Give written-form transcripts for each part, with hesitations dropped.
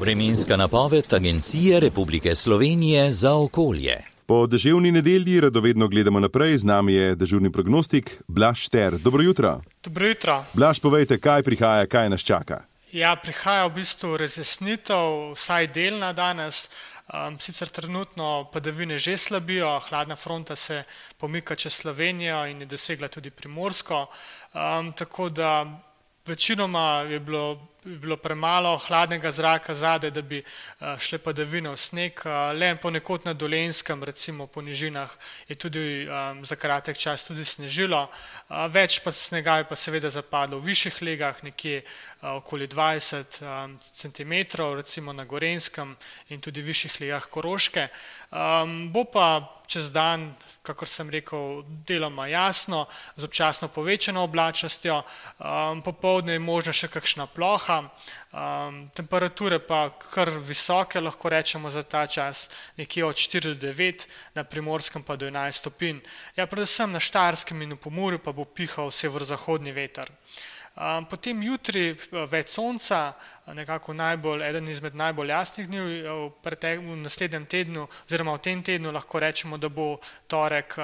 Vremenska napoved Agencije Republike Slovenije za okolje. Po deževni nedelji radovedno gledamo naprej, z nami je dežurni prognostik Blaž Šter. Dobro jutro. Dobro jutro. Blaž, povejte, kaj prihaja, kaj nas čaka? Ja, prihaja v bistvu razjasnitev, vsaj delna danes. Sicer trenutno padavine že slabijo, hladna fronta se pomika čez Slovenijo in je dosegla tudi Primorsko, tako da večinoma je bilo premalo hladnega zraka zadaj, da bi šle padavine v sneg. Le ponekod na Dolenjskem, recimo po nižinah, je tudi za kratek čas tudi snežilo. Več pa snega je pa seveda zapadlo v višjih legah, nekje okoli 20 cm, recimo na Gorenjskem in tudi v višjih legah Koroške. Bo pa čez dan, kakor sem rekel, deloma jasno, z občasno povečano oblačnostjo. Popoldne je možna še kakšna ploha. Temperature pa kar visoke, lahko rečemo za ta čas, nekje od 4 do 9, na Primorskem pa do 11 stopinj. Ja, predvsem na Štajerskem in v Pomurju pa bo pihal severozahodni veter. Potem jutri več sonca, nekako eden izmed najbolj jasnih dni v naslednjem tednu, oziroma v tem tednu lahko rečemo, da bo torek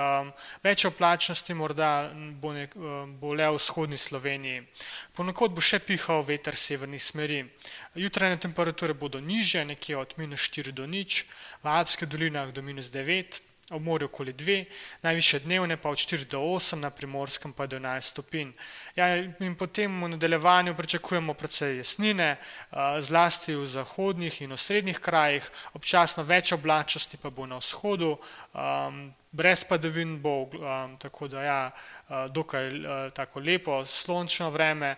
več oblačnosti, morda bo le v vzhodni Sloveniji. Ponekod bo še pihal veter severnih smeri. Jutranje temperature bodo nižje, nekje od -4 do 0, v Alpskih dolinah do -9, ob morju okoli 2, najvišje dnevne pa od 4 do 8, na Primorskem pa do 11 stopinj. Ja, in potem v nadaljevanju pričakujemo precej jasnine, zlasti v zahodnih in osrednjih krajih, občasno več oblačnosti pa bo na vzhodu, brez padavin bo, tako da ja, dokaj tako lepo, sončno vreme,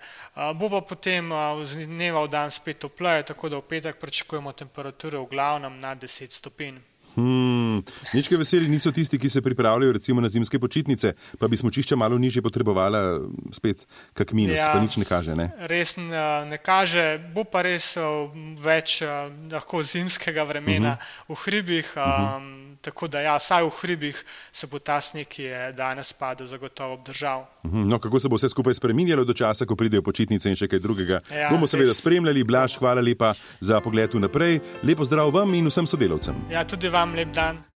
bo pa potem z dneva v dan spet topleje, tako da v petek pričakujemo temperature v glavnem nad 10 stopinj. Nič kaj veseli niso tisti, ki se pripravljajo recimo na zimske počitnice, pa bi smučišča malo nižje potrebovala spet kak minus, ja, pa nič ne kaže, ne? Res ne kaže, bo pa res več lahko zimskega vremena v hribih, tako da ja, saj v hribih se bo ta sneg, ki je danes padel, zagotovo obdržal. No, kako se bo vse skupaj spreminjalo do časa, ko pridejo počitnice in še kaj drugega? Ja, bomo seveda spremljali. Blaž, hvala lepa za pogled vnaprej. Lepo zdrav vam in vsem sodelavcem. Ja, tudi vam lep dan.